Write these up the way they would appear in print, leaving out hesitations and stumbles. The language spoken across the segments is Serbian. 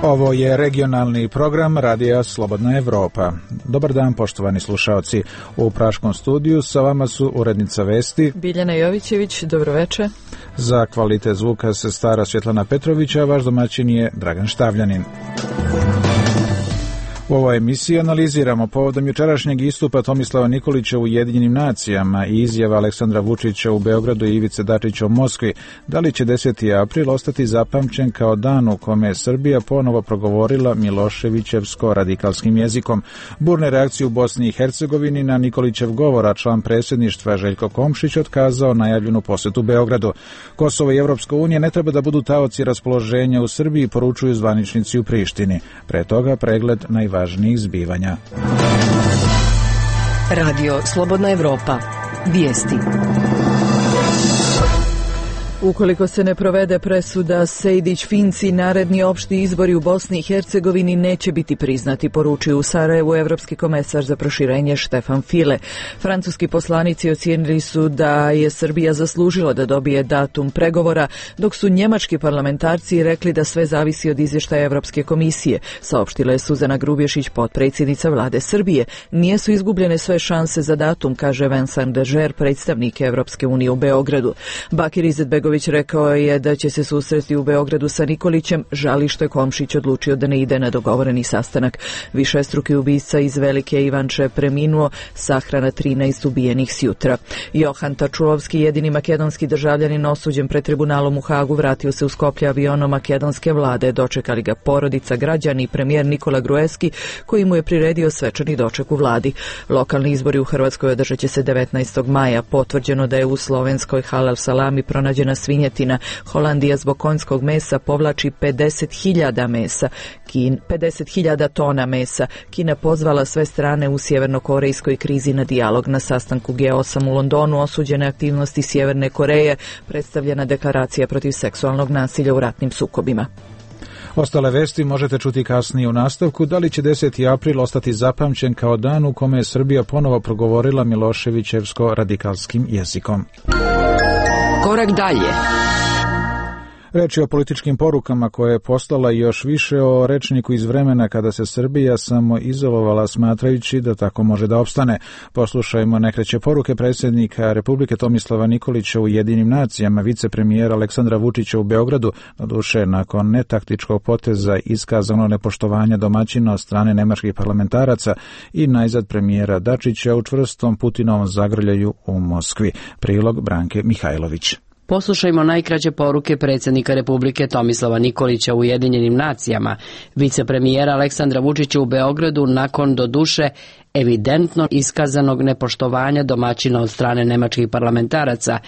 Ovo je regionalni program Radija Slobodna Evropa. Dobar dan, poštovani slušaoci. U Praškom studiju sa vama su urednica vesti Biljana Jovićević, dobroveče. Za kvalitet zvuka se stara Svjetlana Petrovića, a vaš domaćin je Dragan Štavljanin. U ovoj emisiji analiziramo povodom jučerašnjeg istupa Tomislava Nikolića u Ujedinjenim nacijama i izjava Aleksandra Vučića u Beogradu i Ivice Dačića u Moskvi. Da li će 10. april ostati zapamćen kao dan u kome je Srbija ponovo progovorila miloševićevsko-radikalskim jezikom? Burne reakcije u Bosni i Hercegovini na Nikolićev govor, a član predsjedništva Željko Komšić otkazao najavljenu posjetu Beogradu. Kosovo i Evropska unija ne treba da budu taoci raspoloženja u Srbiji, poručuju zvaničnici u Prištini. Pre toga pregled najvažnijih zbivanja. Radio Slobodna Evropa. Vijesti. Ukoliko se ne provede presuda Sejdić-Finci, naredni opšti izbori u Bosni i Hercegovini neće biti priznati, poručuju u Sarajevu evropski komesar za proširenje Štefan File. Francuski poslanici ocijenili su da je Srbija zaslužila da dobije datum pregovora, dok su njemački parlamentarci rekli da sve zavisi od izvještaja Evropske komisije. Saopštila je Suzana Grubješić, potpredsjednica vlade Srbije. Nijesu izgubljene sve šanse za datum, kaže Vincent Dežer, predstavnik Evropske unije u Beogradu. Bakir Izetbegović rekao je da će se susresti u Beogradu sa Nikolićem, žali što je Komšić odlučio da ne ide na dogovoreni sastanak. Višestruki ubica iz Velike Ivanče preminuo, sahrana 13 ubijenih s jutra. Johan Tačulovski, jedini makedonski državljanin osuđen pred tribunalom u Hagu, vratio se u Skoplje avionom makedonske vlade. Dočekali ga porodica, građani i premijer Nikola Gruevski, koji mu je priredio svečani doček u vladi. Lokalni izbori u Hrvatskoj održat će se 19. maja. Potvrđeno da je u slovenskoj halal salami pronađena svinjetina. Holandija zbog konjskog mesa povlači 50.000 tona mesa. Kina pozvala sve strane u sjevernokorejskoj krizi na dijalog. Na sastanku G8 u Londonu osuđene aktivnosti Sjeverne Koreje, predstavljena deklaracija protiv seksualnog nasilja u ratnim sukobima. Ostale vesti možete čuti kasnije u nastavku. Da li će 10. april ostati zapamćen kao dan u kome je Srbija ponovo progovorila miloševićevsko-radikalskim jezikom? Korak dalje. Reč je o političkim porukama koje je poslala i još više o rečniku iz vremena kada se Srbija samo izolovala smatrajući da tako može da opstane. Poslušajmo nekreće poruke predsjednika Republike Tomislava Nikolića u Ujedinjenim nacijama, vicepremijera Aleksandra Vučića u Beogradu, doduše nakon netaktičkog poteza iskazano nepoštovanja domaćina od strane nemačkih parlamentaraca i najzad premijera Dačića u čvrstom Putinovom zagrljaju u Moskvi. Prilog Branke Mihajlović. Poslušajmo najkraće poruke predsjednika Republike Tomislava Nikolića u Ujedinjenim nacijama, vicepremijera Aleksandra Vučića u Beogradu nakon doduše evidentno iskazanog nepoštovanja domaćina od strane nemačkih parlamentaraca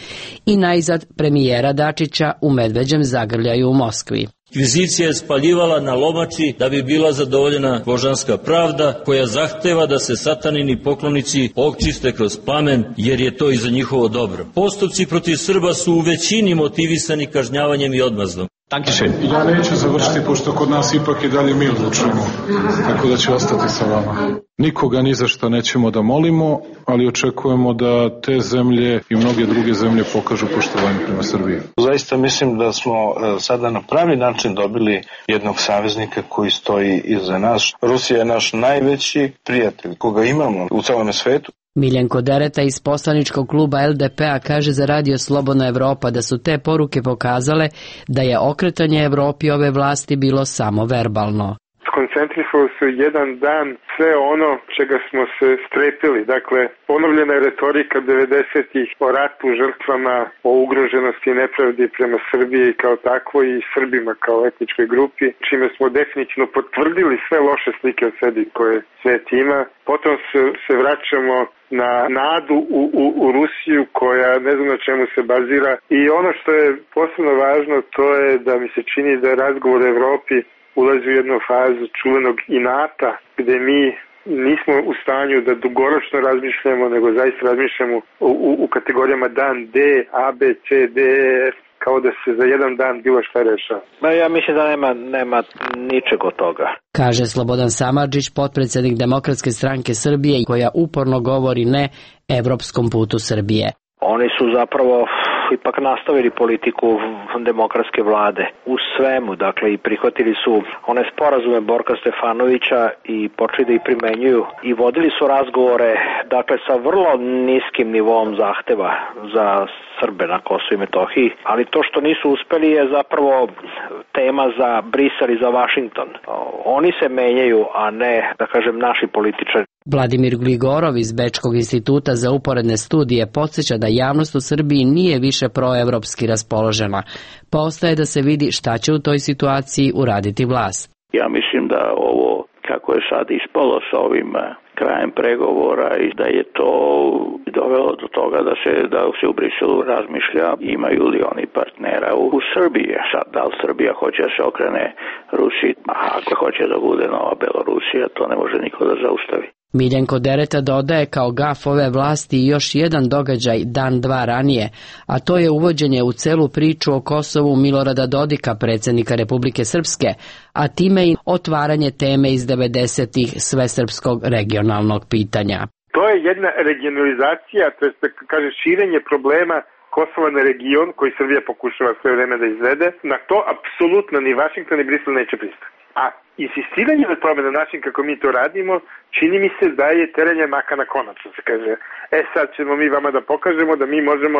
i najzad premijera Dačića u medveđem zagrljaju u Moskvi. Inkvizicija je spaljivala na lomači da bi bila zadovoljena božanska pravda koja zahteva da se satanini poklonici očiste kroz plamen jer je to i za njihovo dobro. Postupci protiv Srba su u većini motivisani kažnjavanjem i odmazdom. Ja neću završiti pošto kod nas ipak i dalje mi odlučujemo, tako da ću ostati sa vama. Nikoga ni za što nećemo da molimo, ali očekujemo da te zemlje i mnoge druge zemlje pokažu poštovanje prema Srbiji. Zaista mislim da smo sada na pravi način dobili jednog saveznika koji stoji iza nas. Rusija je naš najveći prijatelj koga imamo u celom svetu. Miljenko Dereta iz poslaničkog kluba LDP-a kaže za Radio Slobodna Evropa da su te poruke pokazale da je okretanje Evropi ove vlasti bilo samo verbalno. Koncentrisalo se u jedan dan sve ono čega smo se strepili. Dakle, ponovljena je retorika 90-ih o ratu, žrtvama, o ugroženosti i nepravdi prema Srbiji kao takvoj i Srbima kao etničkoj grupi, čime smo definitivno potvrdili sve loše slike od sebi koje svet ima. Potom se vraćamo na nadu u Rusiju koja ne znam na čemu se bazira. I ono što je posebno važno to je da mi se čini da je razgovor o Evropi ulazi u jednu fazu čuvenog inata gdje mi nismo u stanju da dugoročno razmišljamo, nego zaista razmišljamo u kategorijama dan D, A, B, C, D, E, F, kao da se za jedan dan bilo šta rešava. Ja mislim da nema ničeg od toga. Kaže Slobodan Samardžić, potpredsjednik Demokratske stranke Srbije, koja uporno govori ne evropskom putu Srbije. Oni su zapravo ipak nastavili politiku demokratske vlade u svemu, dakle i prihvatili su one sporazume Borka Stefanovića i počeli da ih primenjuju i vodili su razgovore, dakle sa vrlo niskim nivoom zahteva za Srbe na Kosovu i Metohiji, ali to što nisu uspeli je zapravo tema za Brisel i za Vašington. Oni se menjaju, a ne, da kažem, naši političari. Vladimir Gligorov iz Bečkog instituta za uporedne studije podsjeća da javnost u Srbiji nije više proevropski raspoložena, pa ostaje da se vidi šta će u toj situaciji uraditi vlast. Ja mislim da ovo, kako je sad ispalo sa ovim krajem pregovora i da je to dovelo do toga da se u Briselu razmišlja imaju li oni partnera u Srbiji. Sad, da li Srbija hoće da se okrene Rusiji, a ako hoće da bude nova Belorusija, to ne može niko da zaustavi. Miljenko Dereta dodaje kao gaf ove vlasti još jedan događaj dan dva ranije, a to je uvođenje u celu priču o Kosovu Milorada Dodika, predsjednika Republike Srpske, a time i otvaranje teme iz 90-ih svesrpskog regionalnog pitanja. To je jedna regionalizacija, to je kaže širenje problema Kosova na region koji Srbija pokušava sve vreme da izvede. Na to apsolutno ni Vašington ni Brisel neće pristati. A insistiranje na tome na način kako mi to radimo, čini mi se da je teranje maka na konac, se kaže. Sad ćemo mi vama da pokažemo da mi možemo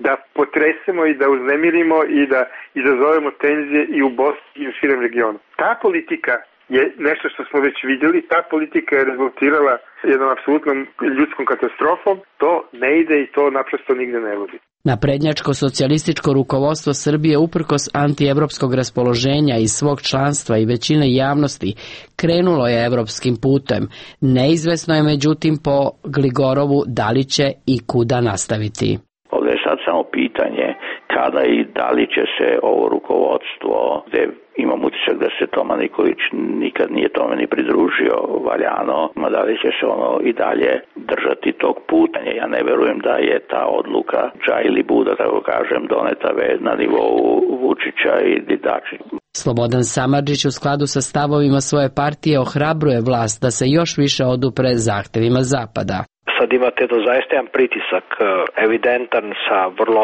da potresemo i da uznemirimo i da izazovemo tenzije i u Bosni i u širem regionu. Ta politika je nešto što smo već vidjeli, ta politika je rezultirala jednom apsolutnom ljudskom katastrofom, to ne ide i to naprosto nigde ne vodi. Naprednjačko-socijalističko rukovodstvo Srbije uprkos antievropskog raspoloženja iz svog članstva i većine javnosti krenulo je evropskim putem. Neizvesno je međutim po Gligorovu da li će i kuda nastaviti. Ovdje je sad samo pitanje kada i da li će se ovo rukovodstvo, gde imam utisak da se Toma Nikolić nikad nije tome ni pridružio valjano, ma da li će se ono i dalje držati tog puta. Ja ne verujem da je ta odluka dža ili buda, tako kažem, doneta na nivou Vučića i Dačića. Slobodan Samardžić u skladu sa stavovima svoje partije ohrabruje vlast da se još više odupre zahtevima Zapada. Sad imate to zaista jedan pritisak evidentan sa vrlo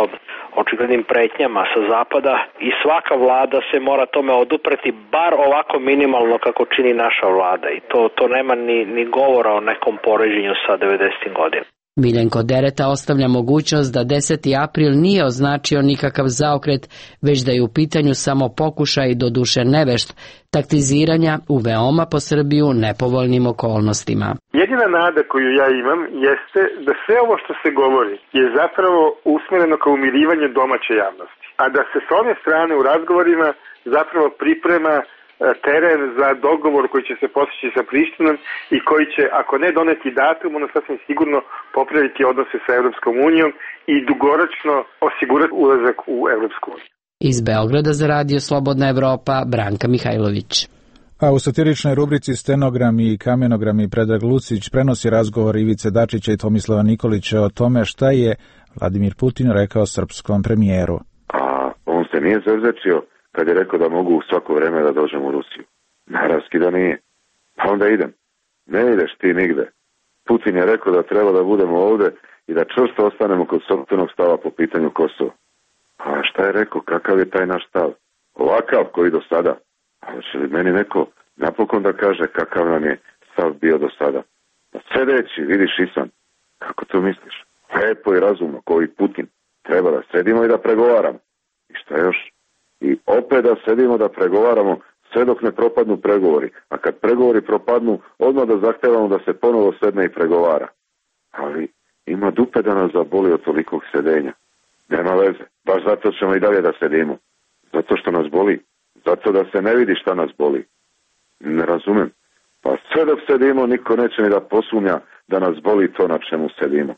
očiglednim pretnjama sa Zapada i svaka vlada se mora tome odupreti bar ovako minimalno kako čini naša vlada i to nema ni govora o nekom poređenju sa 90. godina. Miljenko Dereta ostavlja mogućnost da 10. april nije označio nikakav zaokret, već da je u pitanju samo pokušaj, doduše nevešt, taktiziranja u veoma po Srbiju nepovoljnim okolnostima. Jedina nada koju ja imam jeste da sve ovo što se govori je zapravo usmjereno kao umirivanje domaće javnosti, a da se s one strane u razgovorima zapravo priprema teren za dogovor koji će se postići sa Prištinom i koji će, ako ne doneti datum, ono sasvim sigurno popraviti odnose sa Evropskom unijom i dugoročno osigurati ulazak u Evropsku uniju. Iz Beograda za Radio Slobodna Evropa, Branka Mihajlović. A u satiričnoj rubrici Stenogrami i kamenogrami Predrag Lucić prenosi razgovor Ivice Dačića i Tomislava Nikolića o tome šta je Vladimir Putin rekao srpskom premijeru. A on se nije zezečio kad je rekao da mogu u svako vreme da dođem u Rusiju. Naravski da nije. Pa onda idem. Ne ideš ti nigde. Putin je rekao da treba da budemo ovde i da čvrsto ostanemo kod sopstvenog stava po pitanju Kosova. A šta je rekao? Kakav je taj naš stav? Ovakav koji do sada. A će li meni neko napokon da kaže kakav nam je stav bio do sada? Da sedeći, vidiš Isan. Kako to misliš? Lepo i razumno, kao i Putin. Treba da sedimo i da pregovaramo. I šta još? I opet da sedimo da pregovaramo sve dok ne propadnu pregovori. A kad pregovori propadnu, odmah da zahtevamo da se ponovo sedne i pregovara. Ali ima dupe da nas zaboli od tolikog sedenja. Nema veze. Baš zato ćemo i dalje da sedimo. Zato što nas boli. Zato da se ne vidi šta nas boli. Ne razumem. Pa sve dok sedimo, niko neće ni da posumnja da nas boli to na čemu sedimo.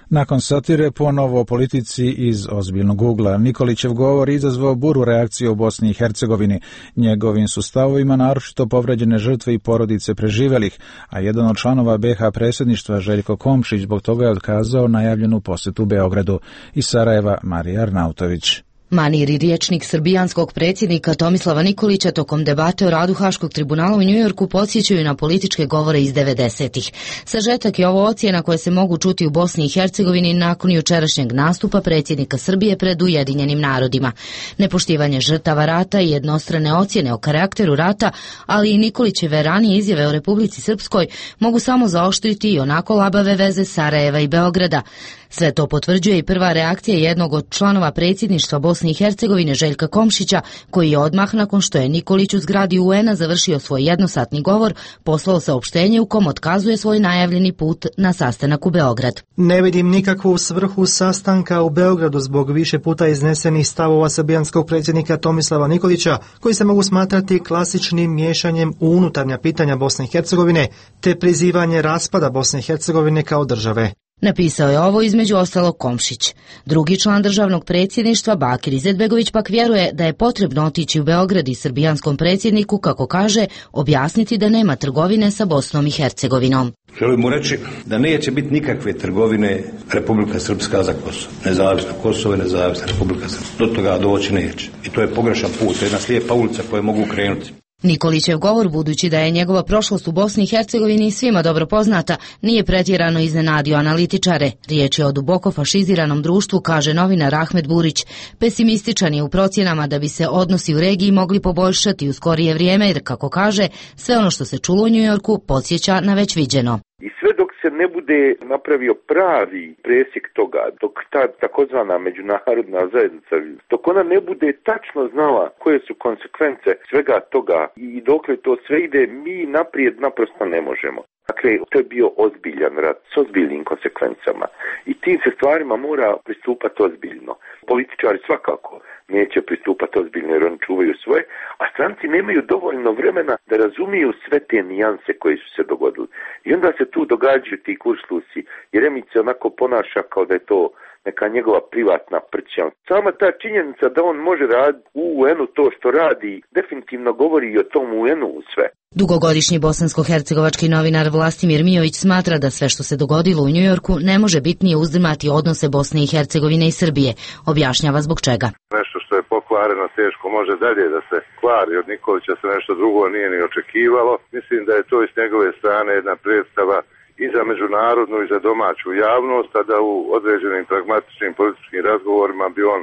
Nakon satire ponovo o politici iz ozbiljnog ugla. Nikolićev govor izazvao buru reakcije u Bosni i Hercegovini. Njegovim su stavovima naročito povređene žrtve i porodice preživelih, a jedan od članova BiH predsjedništva Željko Komšić zbog toga je otkazao najavljenu posetu Beogradu. Iz Sarajeva Marija Arnautović. Manir, rječnik srbijanskog predsjednika Tomislava Nikolića tokom debate o radu Haškog tribunala u Njujorku podsjećaju na političke govore iz 90-ih. Sažetak je ovo ocjena koje se mogu čuti u Bosni i Hercegovini nakon jučerašnjeg nastupa predsjednika Srbije pred Ujedinjenim narodima. Nepoštivanje žrtava rata i jednostrane ocjene o karakteru rata, ali i Nikolićeve ranije izjave o Republici Srpskoj mogu samo zaoštriti i onako labave veze Sarajeva i Beograda. Sve to potvrđuje i prva reakcija jednog od članova predsjedništva Bosne i Hercegovine, Željka Komšića, koji je odmah nakon što je Nikolić u zgradi UN-a završio svoj jednosatni govor, poslao saopštenje u kom otkazuje svoj najavljeni put na sastanak u Beograd. Ne vidim nikakvu svrhu sastanka u Beogradu zbog više puta iznesenih stavova srbijanskog predsjednika Tomislava Nikolića, koji se mogu smatrati klasičnim miješanjem u unutarnja pitanja Bosne i Hercegovine, te prizivanje raspada Bosne i Hercegovine kao države. Napisao je ovo između ostalog Komšić. Drugi član državnog predsjedništva, Bakir Izetbegović, pak vjeruje da je potrebno otići u Beograd i srbijanskom predsjedniku, kako kaže, objasniti da nema trgovine sa Bosnom i Hercegovinom. Želim mu reći da neće biti nikakve trgovine Republika Srpska za Kosovo. Nezavisno Kosovo i nezavisna Republika Srpska. Do toga doći neće. I to je pogrešan put, jedna slijepa ulica koju mogu krenuti. Nikolićev govor, budući da je njegova prošlost u Bosni i Hercegovini svima dobro poznata, nije pretjerano iznenadio analitičare. Riječ je o duboko fašiziranom društvu, kaže novinar Ahmed Burić. Pesimističan je u procjenama da bi se odnosi u regiji mogli poboljšati u skorije vrijeme, jer, kako kaže, sve ono što se čulo u Njujorku podsjeća na već viđeno. I sve dok se ne bude napravio pravi presjek toga, dok ta takozvana međunarodna zajednica, dok ona ne bude tačno znala koje su konsekvence svega toga i dokle to sve ide, mi naprijed naprosto ne možemo. Dakle, to je bio ozbiljan rat s ozbiljnim konsekvencama i tim se stvarima mora pristupati ozbiljno. Političari svakako neće pristupati ozbiljno jer oni čuvaju svoje, a stranci nemaju dovoljno vremena da razumiju sve te nijanse koje su se dogodili. I onda se tu događaju ti kurslusi, Jeremić se onako ponaša kao da je to neka njegova privatna prća. Sama ta činjenica da on može raditi u UN-u to što radi, definitivno govori i o tom UN-u sve. Dugogodišnji bosansko-hercegovački novinar Vlastimir Mijović smatra da sve što se dogodilo u Njujorku ne može bitnije uzdrmati odnose Bosne i Hercegovine i Srbije. Objašnjava zbog čega. Nešto što je pokvareno teško može dalje da se kvari. Od Nikolića se nešto drugo nije ni očekivalo. Mislim da je to iz njegove strane jedna predstava i za međunarodnu i za domaću javnost, a da u određenim pragmatičnim političkim razgovorima bi on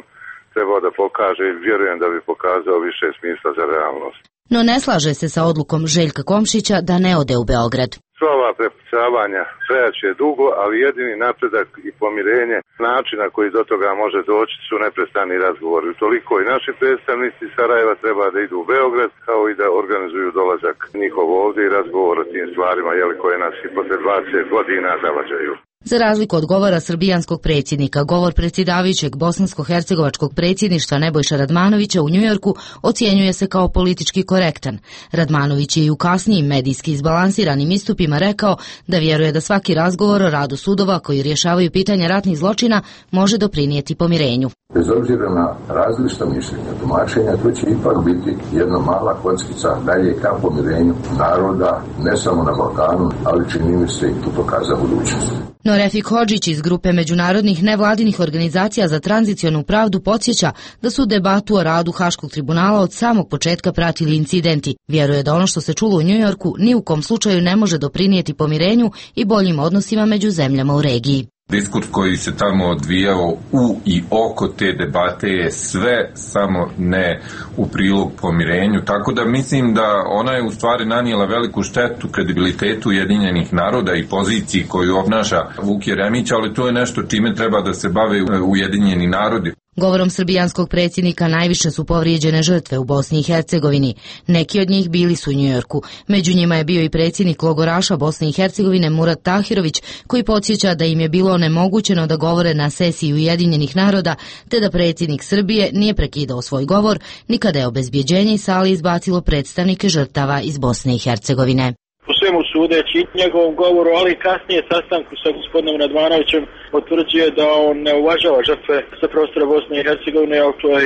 trebao da pokaže i vjerujem da bi pokazao više smisla za realnost. No ne slaže se sa odlukom Željka Komšića da ne ode u Beograd. Sva ova prepucavanja trajaće dugo, ali jedini napredak i pomirenje, način na koji do toga može doći su neprestani razgovori. Toliko i naši predstavnici Sarajeva treba da idu u Beograd, kao i da organizuju dolazak njihov ovdje i razgovor o tim stvarima koje nas i posle 20 godina zavađaju. Za razliku od govora srbijanskog predsjednika, govor predsjedavajućeg bosansko-hercegovačkog predsjedništva Nebojša Radmanovića u Njujorku ocjenjuje se kao politički korektan. Radmanović je i u kasnijim medijski izbalansiranim istupima rekao da vjeruje da svaki razgovor o radu sudova koji rješavaju pitanja ratnih zločina može doprinijeti pomirenju. Bez obzira na različita mišljenja, tumačenja, to će ipak biti jedna mala kockica dalje ka pomirenju naroda, ne samo na Balkanu, ali čini mi se i putoka za budućnost. No Refik Hodžić iz grupe međunarodnih nevladinih organizacija za tranzicionu pravdu podsjeća da su debatu o radu Haškog tribunala od samog početka pratili incidenti. Vjeruje da ono što se čulo u Njujorku ni u kom slučaju ne može doprinijeti pomirenju i boljim odnosima među zemljama u regiji. Diskurs koji se tamo odvijao u i oko te debate je sve samo ne u prilog pomirenju, tako da mislim da ona je u stvari nanijela veliku štetu kredibilitetu Ujedinjenih naroda i poziciji koju obnaša Vuk Jeremić, ali to je nešto čime treba da se bave Ujedinjeni narodi. Govorom srbijanskog predsjednika najviše su povrijeđene žrtve u Bosni i Hercegovini. Neki od njih bili su u Njujorku. Među njima je bio i predsjednik logoraša Bosne i Hercegovine Murat Tahirović, koji podsjeća da im je bilo onemogućeno da govore na sesiji Ujedinjenih naroda, te da predsjednik Srbije nije prekidao svoj govor, ni kada je obezbjeđenje iz sale izbacilo predstavnike žrtava iz Bosne i Hercegovine. Po svemu sudeći njegovom govoru, ali i kasnije sastanku sa gospodinom Radmanovićem potvrđuje da on ne uvažava žrtve sa prostora Bosne i Hercegovine, ali to je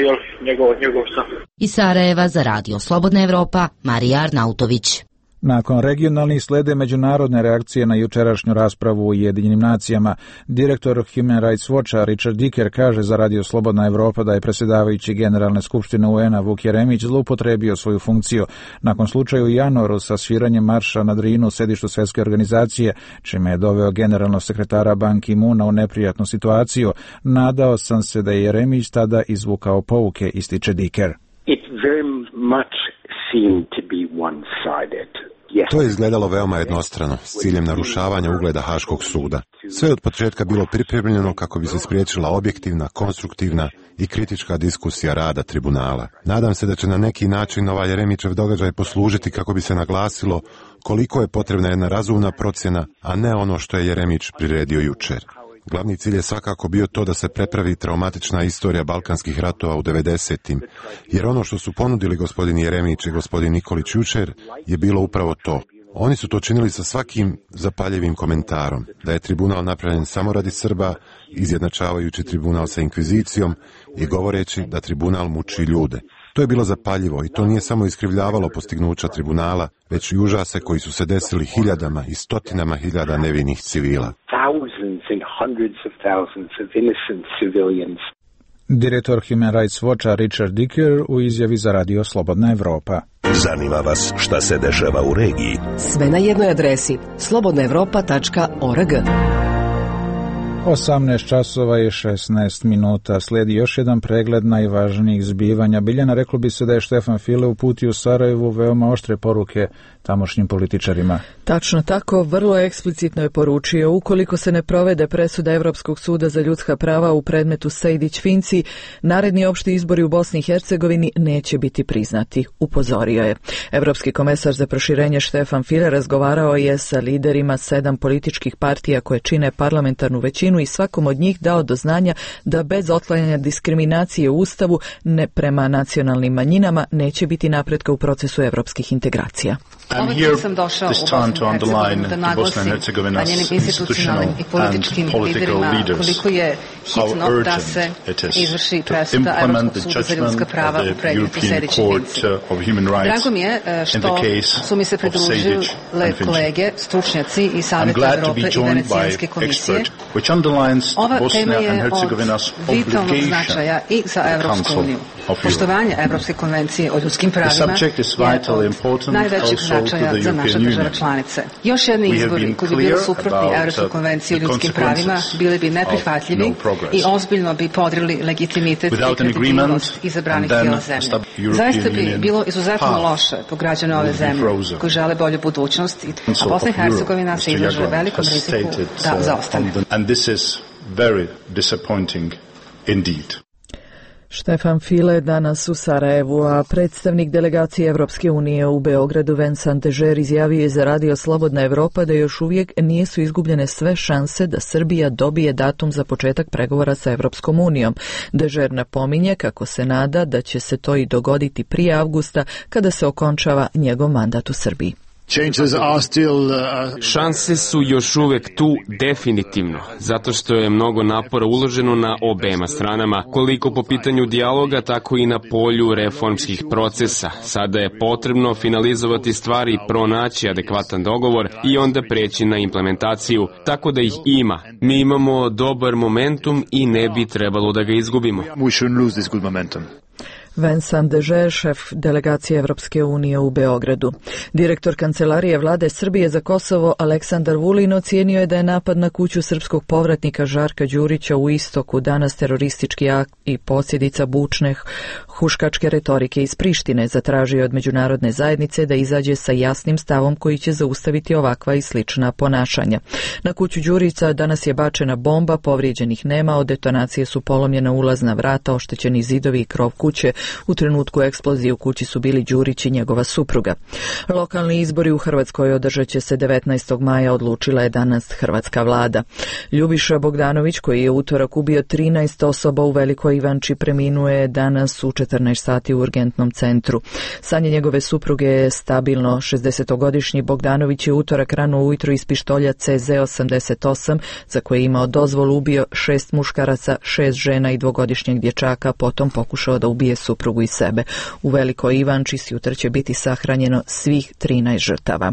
njegov stav. Iz Sarajeva za Radio Slobodna Evropa, Marija Arnautović. Nakon regionalnih slede međunarodne reakcije na jučerašnju raspravu u Ujedinjenim nacijama, direktor Human Rights Watcha Richard Dicker kaže za Radio Slobodna Evropa da je predsjedavajući Generalne skupštine UN-a Vuk Jeremić zloupotrebio svoju funkciju nakon slučaja u januaru sa sviranjem marša na Drinu u sedištu Svjetske organizacije, čime je doveo generalnog sekretara Ban Ki-moona u neprijatnu situaciju. Nadao sam se da je Jeremić tada izvukao pouke, ističe Dicker. It very much seemed to be one-sided. To je izgledalo veoma jednostrano, s ciljem narušavanja ugleda Haškog suda. Sve od početka bilo pripremljeno kako bi se spriječila objektivna, konstruktivna i kritička diskusija rada tribunala. Nadam se da će na neki način ovaj Jeremićev događaj poslužiti kako bi se naglasilo koliko je potrebna jedna razumna procjena, a ne ono što je Jeremić priredio jučer. Glavni cilj je svakako bio to da se prepravi traumatična istorija balkanskih ratova u 90-im, jer ono što su ponudili gospodin Jeremić i gospodin Nikolić jučer je bilo upravo to. Oni su to činili sa svakim zapaljivim komentarom, da je tribunal napravljen samo radi Srba, izjednačavajući tribunal sa inkvizicijom i govoreći da tribunal muči ljude. To je bilo zapaljivo i to nije samo iskrivljavalo postignuća tribunala, već i užase koji su se desili hiljadama i stotinama hiljada nevinih civila. Direktor Human Rights Watcha Richard Dicker u izjavi za Radio Slobodna Evropa. Zanima vas šta se dešava u regiji? Sve na jednoj adresi slobodnaevropa.org. 18 časova i 16 minuta. Slijedi još jedan pregled najvažnijih zbivanja. Biljana, reklo bi se da je Štefan File uputio u Sarajevu veoma oštre poruke tamošnjim političarima. Tačno tako, vrlo eksplicitno je poručio: ukoliko se ne provede presuda Evropskog suda za ljudska prava u predmetu Sejdić-Finci, naredni opšti izbori u Bosni i Hercegovini neće biti priznati, upozorio je. Evropski komesar za proširenje Štefan File razgovarao je sa liderima 7 političkih partija koje čine parlamentarnu većinu i svakom od njih dao do znanja da bez otklanjanja diskriminacije u Ustavu prema nacionalnim manjinama neće biti napretka u procesu evropskih integracija. I'm here this time to underline the Bosnia and Herzegovina's institutional and political leaders how urgent it is to implement the judgment of the European Court of Human Rights in the case of Sejdić and Finci. I'm glad to be joined by experts, which underlines Bosnia and Herzegovina's obligation to the Council of Poštovanje Evropske konvencije o ljudskim pravima je najvećeg značaja za naše države članice. Još jedni izbori koji bi bili suprotni Evropskoj konvenciji o ljudskim pravima bili bi neprihvatljivi i ozbiljno bi podrili legitimitet i kredibilnost izabranih tijela zemlje. Zaista bi bilo izuzetno loše po građane ove zemlje koji žele bolju budućnost, a Bosna i Hercegovina se izlaže velikom riziku da zaostane. And this is very disappointing indeed. Štefan File danas u Sarajevu, a predstavnik delegacije Evropske unije u Beogradu Vincent Dežer izjavio je za Radio Slobodna Evropa da još uvijek nisu izgubljene sve šanse da Srbija dobije datum za početak pregovora sa Evropskom unijom. Dežer napominje kako se nada da će se to i dogoditi prije avgusta kada se okončava njegov mandat u Srbiji. Šanse su još uvijek tu definitivno, zato što je mnogo napora uloženo na obema stranama, koliko po pitanju dijaloga, tako i na polju reformskih procesa. Sada je potrebno finalizovati stvari i pronaći adekvatan dogovor i onda preći na implementaciju, tako da ih ima. Mi imamo dobar momentum i ne bi trebalo da ga izgubimo. Vincent Dežer, šef delegacije Evropske unije u Beogradu. Direktor Kancelarije vlade Srbije za Kosovo Aleksandar Vulin ocijenio je da je napad na kuću srpskog povratnika Žarka Đurića u Istoku danas teroristički akt i posljedica bučne huškačke retorike iz Prištine. Zatražio od međunarodne zajednice da izađe sa jasnim stavom koji će zaustaviti ovakva i slična ponašanja. Na kuću Đurića danas je bačena bomba, povrijeđenih nema, od detonacije su polomljena ulazna vrata, oštećeni zidovi i krov kuće. U trenutku eksplozije u kući su bili Đurić i njegova supruga. Lokalni izbori u Hrvatskoj održat će se 19. maja, odlučila je danas hrvatska vlada. Ljubiša Bogdanović, koji je utorak ubio 13 osoba u Velikoj Ivanči, preminuo je danas u 14 sati u urgentnom centru. Stanje njegove supruge je stabilno. 60-godišnji Bogdanović je utorak rano ujutro iz pištolja CZ-88, za koje je imao dozvolu, ubio 6 muškaraca, 6 žena i 2-godišnjeg dječaka, potom pokušao da ubije suprugu. suprugu i sebe. U Velikoj Ivanči sutra će biti sahranjeno svih 13 žrtava.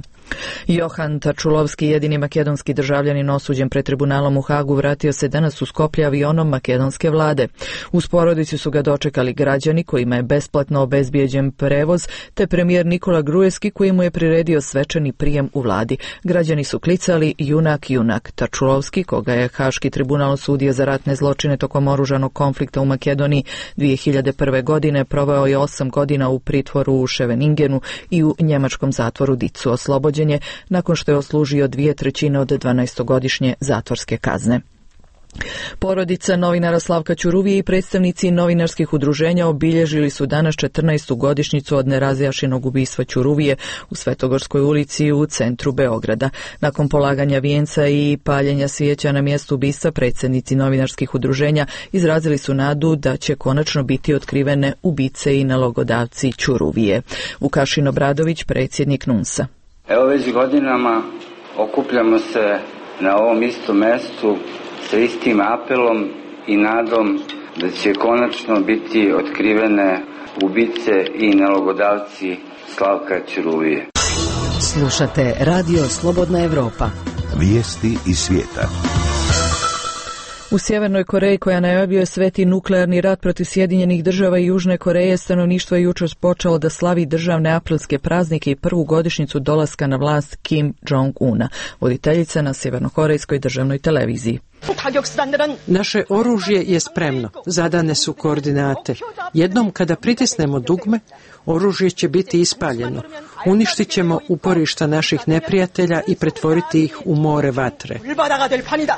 Johan Tačulovski, jedini makedonski državljanin osuđen pred tribunalom u Hagu, vratio se danas u Skoplje avionom makedonske vlade. Uz porodicu su ga dočekali građani kojima je besplatno obezbijeđen prevoz, te premijer Nikola Gruevski koji mu je priredio svečani prijem u vladi. Građani su klicali junak, junak. Tačulovski, koga je Haški tribunal osudio za ratne zločine tokom oružanog konflikta u Makedoniji 2001. godine, proveo je 8 godina u pritvoru u Scheveningenu i u njemačkom zatvoru Dicu. Oslobođen je nakon što je odslužio 2/3 od 12-godišnje zatvorske kazne. Porodica novinara Slavka Ćuruvije i predstavnici novinarskih udruženja obilježili su danas 14. godišnjicu od nerazjašnjenog ubistva Ćuruvije u Svetogorskoj ulici u centru Beograda. Nakon polaganja vijenca i paljenja svijeća na mjestu ubistva, predsjednici novinarskih udruženja izrazili su nadu da će konačno biti otkrivene ubice i nalogodavci Ćuruvije. Vukašin Obradović, predsjednik NUNS-a. Evo već godinama okupljamo se na ovom istom mjestu sa istim apelom i nadom da će konačno biti otkrivene ubice i nalogodavci Slavka Ćuruvije. Slušate Radio Slobodna Evropa. Vijesti iz svijeta. U Sjevernoj Koreji, koja najavljuje sveti nuklearni rat protiv Sjedinjenih država i Južne Koreje, stanovništvo je jučer počelo da slavi državne aprilske praznike i prvu godišnjicu dolaska na vlast Kim Jong-una, voditeljica na sjevernokorejskoj državnoj televiziji. Naše oružje je spremno, zadane su koordinate. Jednom kada pritisnemo dugme, oružje će biti ispaljeno. Uništit ćemo uporišta naših neprijatelja i pretvoriti ih u more vatre.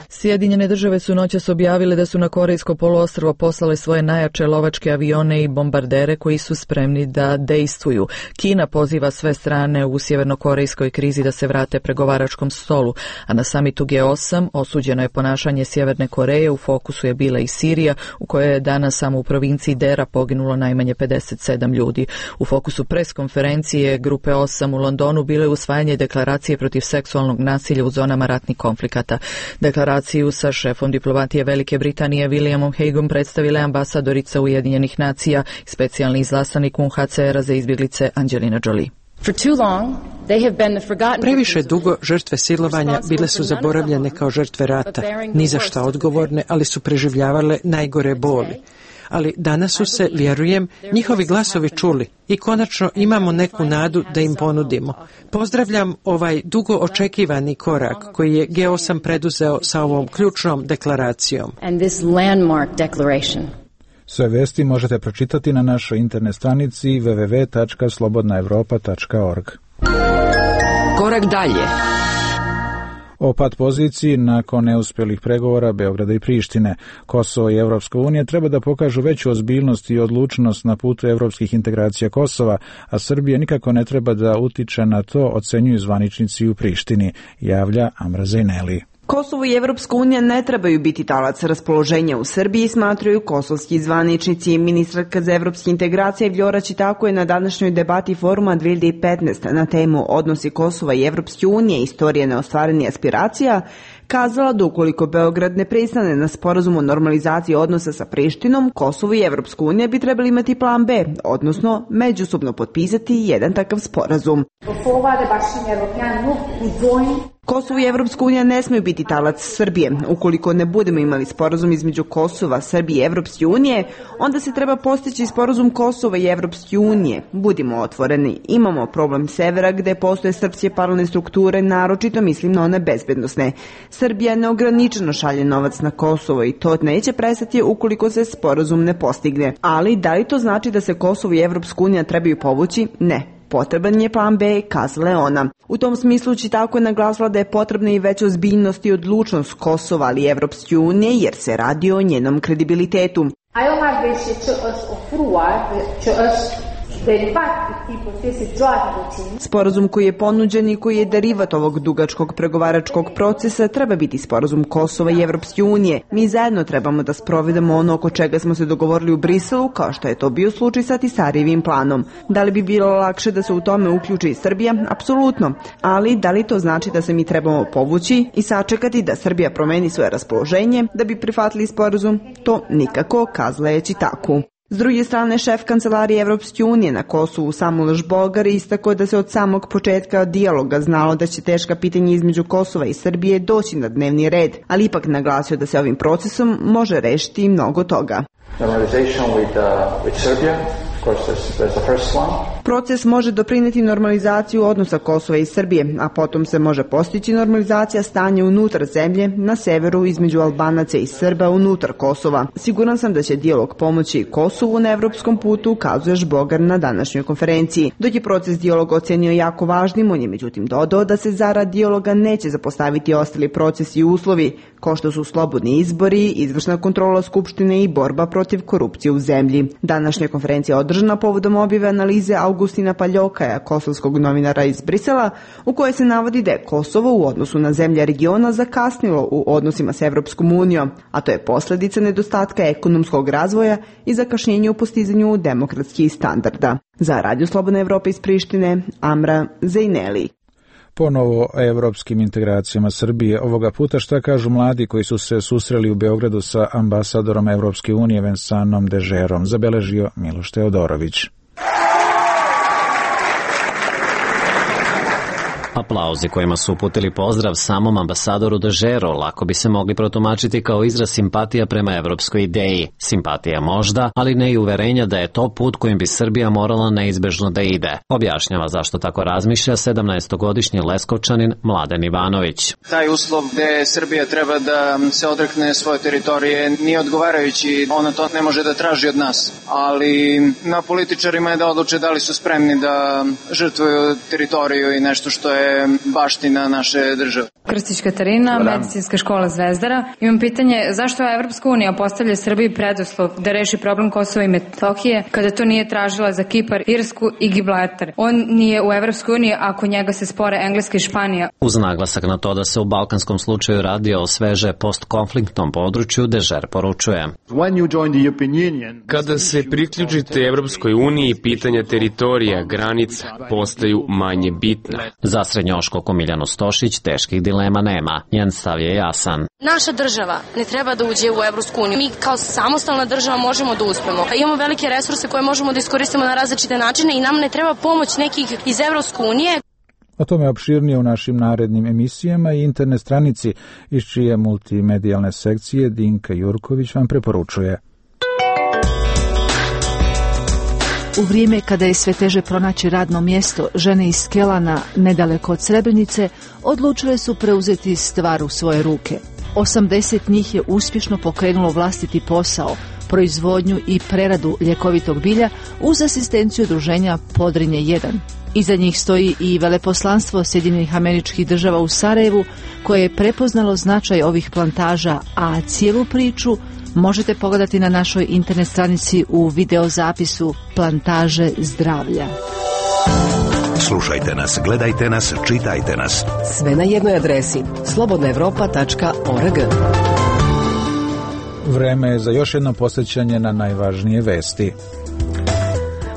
Sjedinjene države su noćas objavile da su na Korejsko poluostrvo poslale svoje najjače lovačke avione i bombardere koji su spremni da dejstvuju. Kina poziva sve strane u sjevernokorejskoj krizi da se vrate pregovaračkom stolu, a na samitu G8 osuđeno je ponašanje Sjeverne Koreje. U fokusu je bila i Sirija, u kojoj je danas samo u provinciji Dera poginulo najmanje 57 ljudi. U fokusu preskonferencije Grupe 8 u Londonu bilo je usvajanje deklaracije protiv seksualnog nasilja u zonama ratnih konflikata. Deklaraciju sa šefom diplomatije Velike Britanije Williamom Hagueom predstavila je ambasadorica Ujedinjenih nacija i specijalni izaslanik UNHCR-a za izbjeglice Angelina Jolie. Previše dugo žrtve silovanja bile su zaboravljene kao žrtve rata, ni za šta odgovorne, ali su preživljavale najgore boli. Ali danas su se, vjerujem, njihovi glasovi čuli i konačno imamo neku nadu da im ponudimo. Pozdravljam ovaj dugo očekivani korak koji je G8 preduzeo sa ovom ključnom deklaracijom. Sve vesti možete pročitati na našoj internet stranici www.slobodnaevropa.org. Korak dalje. O pad poziciji nakon neuspjelih pregovora Beograda i Prištine. Kosovo i Evropska unija treba da pokažu veću ozbiljnost i odlučnost na putu evropskih integracija Kosova, a Srbija nikako ne treba da utiče na to, ocenjuju zvaničnici u Prištini, javlja Amra Zejneli. Kosovo i Evropska unija ne trebaju biti talac raspoloženja u Srbiji, smatraju kosovski zvaničnici. Ministarka za evropske integracije Vljora Čitako je na današnjoj debati foruma 2015 na temu odnosi Kosova i Evropske unije, istorije neostvarenih aspiracija, kazala da ukoliko Beograd ne pristane na sporazum o normalizaciji odnosa sa Prištinom, Kosovo i Evropska unija bi trebali imati plan B, odnosno međusobno potpisati jedan takav sporazum. Kosovo i Evropska unija ne smiju biti talac Srbije. Ukoliko ne budemo imali sporazum između Kosova, Srbije i Evropske unije, onda se treba postići sporazum Kosova i Evropske unije. Budimo otvoreni. Imamo problem severa gde postoje srpske paralelne strukture, naročito mislim na one bezbednosne. Srbija neograničeno šalje novac na Kosovo i to neće prestati ukoliko se sporazum ne postigne. Ali da li to znači da se Kosovo i Evropska unija trebaju povući? Ne. Potreban je plan B, kazala je ona. U tom smislu Čitako je naglasila da je potrebna i veća ozbiljnost i odlučnost Kosova, ali i Evropske unije, jer se radi o njenom kredibilitetu. Sporazum koji je ponuđen i koji je derivat ovog dugačkog pregovaračkog procesa treba biti sporazum Kosova i Evropske unije. Mi zajedno trebamo da sprovedemo ono oko čega smo se dogovorili u Briselu, kao što je to bio slučaj sa Tisarijevim planom. Da li bi bilo lakše da se u tome uključi i Srbija? Apsolutno. Ali da li to znači da se mi trebamo povući i sačekati da Srbija promeni svoje raspoloženje da bi prihvatili sporazum? To nikako, kazala je Čitaku. S druge strane, šef kancelarije Evropske unije na Kosovu Samuel Žbogar istakao da se od samog početka dijaloga znalo da će teška pitanja između Kosova i Srbije doći na dnevni red, ali ipak naglasio da se ovim procesom može rešiti i mnogo toga. Proces može doprineti normalizaciju odnosa Kosova i Srbije, a potom se može postići normalizacija stanja unutar zemlje na severu između Albanaca i Srba unutar Kosova. Siguran sam da će dijalog pomoći Kosovu na evropskom putu, ukazuje Žbogar na današnjoj konferenciji. Dok je proces dijaloga ocenio jako važnim, on je međutim dodao da se zarad dijaloga neće zapostaviti ostali procesi i uslovi, kao što su slobodni izbori, izvršna kontrola Skupštine i borba protiv korupcije u zemlji. Današnja konferencija održana povodom objave analize Augustina Paljokaja, kosovskog novinara iz Brisela, u kojoj se navodi da je Kosovo u odnosu na zemlje regiona zakasnilo u odnosima s Evropskom unijom, a to je posljedica nedostatka ekonomskog razvoja i zakašnjenja u postizanju demokratskih standarda. Za Radio Slobodna Evropa iz Prištine, Amra Zejneli. Ponovo o evropskim integracijama Srbije. Ovoga puta šta kažu mladi koji su se susreli u Beogradu sa ambasadorom Evropske unije Vensanom Dežerom, zabeležio Miloš Teodorović. Aplauzi kojima su uputili pozdrav samom ambasadoru Dežero lako bi se mogli protumačiti kao izraz simpatija prema evropskoj ideji. Simpatija možda, ali ne i uverenja da je to put kojim bi Srbija morala neizbežno da ide. Objašnjava zašto tako razmišlja 17-godišnji Leskovčanin Mladen Ivanović. Taj uslov gde Srbija treba da se odrekne svoje teritorije nije odgovarajući, ona to ne može da traži od nas. Ali na političarima je da odluče da li su spremni da žrtvuju teritoriju i nešto što je baština naše države. Krstić Katarina, Medicinska škola Zvezdara. Imam pitanje, zašto Evropska unija postavlja Srbiji preduslov da reši problem Kosova i Metohije kada to nije tražila za Kipar, Irsku i Gibraltar? On nije u Evropskoj uniji ako njega se spore Engleska i Španija. Uz naglasak na to da se u balkanskom slučaju radi o sveže postkonfliktnom području, Dežer poručuje. Kada se priključite Evropskoj uniji, pitanja teritorija, granica postaju manje bitna. Za srednjoškolku Miljanu Stošić teških dilema nema. Njen stav je jasan. Naša država ne treba da uđe u Evropsku uniju. Mi kao samostalna država možemo da uspemo. Imamo velike resurse koje možemo da iskoristimo na različite načine i nam ne treba pomoć nekih iz Evropske unije. O tome opširnije u našim narednim emisijama i internet stranici iz čije multimedijalne sekcije Dinka Jurković vam preporučuje. U vrijeme kada je sve teže pronaći radno mjesto, žene iz Kelana, nedaleko od Srebrenice, odlučile su preuzeti stvar u svoje ruke. 80 njih je uspješno pokrenulo vlastiti posao, proizvodnju i preradu ljekovitog bilja uz asistenciju udruženja Podrinje 1. Iza njih stoji i veleposlanstvo Sjedinjenih Američkih Država u Sarajevu, koje je prepoznalo značaj ovih plantaža, a cijelu priču možete pogledati na našoj internet stranici u videozapisu Plantaže zdravlja. Slušajte nas, gledajte nas, čitajte nas. Sve na jednoj adresi slobodnaevropa.org. Vreme je za još jedno posjećanje na najvažnije vesti.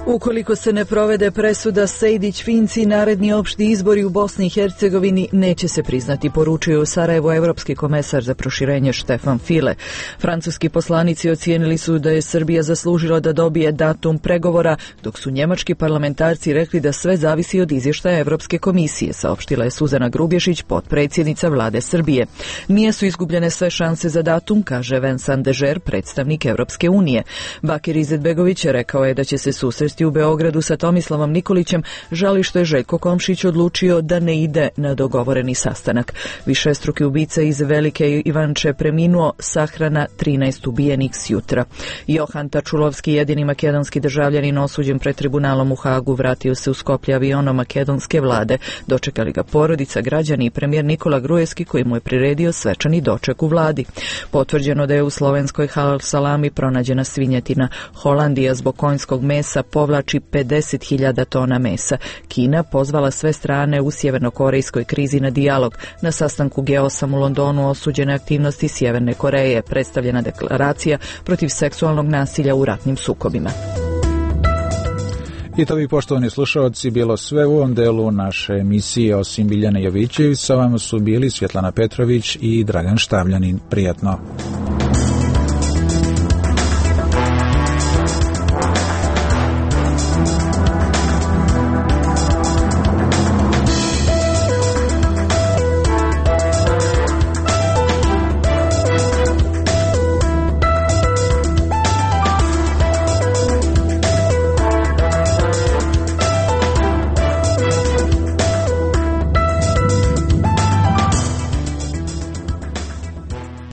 Ukoliko se ne provede presuda Sejdić-Finci, naredni opšti izbori u Bosni i Hercegovini neće se priznati, poručio u Sarajevu evropski komesar za proširenje Štefan File. Francuski poslanici ocijenili su da je Srbija zaslužila da dobije datum pregovora, dok su njemački parlamentarci rekli da sve zavisi od izvještaja Evropske komisije, saopštila je Suzana Grubješić, potpredsjednica vlade Srbije. Nisu izgubljene sve šanse za datum, kaže Vensan Dežer, predstavnik Evropske unije. Bakir Izetbegović rekao je da će se susresti u Beogradu sa Tomislavom Nikolićem, žali što je Željko Komšić odlučio da ne ide na dogovoreni sastanak. Višestruki ubica iz Velike Ivanče preminuo, sahrana 13 ubijenih s jutra. Johan Tačulovski, jedini makedonski državljanin osuđen pred tribunalom u Hagu, vratio se u Skoplje avionom makedonske vlade. Dočekali ga porodica, građani i premijer Nikola Gruevski, koji mu je priredio svečani doček u vladi. Potvrđeno da je u slovenskoj halal salami pronađena svinjetina. Holandija zbog konjskog mesa povlači 50.000 tona mesa. Kina pozvala sve strane u sjevernokorejskoj krizi na dijalog. Na sastanku G8 u Londonu osuđene aktivnosti Sjeverne Koreje, predstavljena deklaracija protiv seksualnog nasilja u ratnim sukobima. I to bi, poštovani slušalci, bilo sve u ovom delu naše emisije. Osim Biljane Jovićević, sa vama su bili Svjetlana Petrović i Dragan Štavljanin. Prijatno.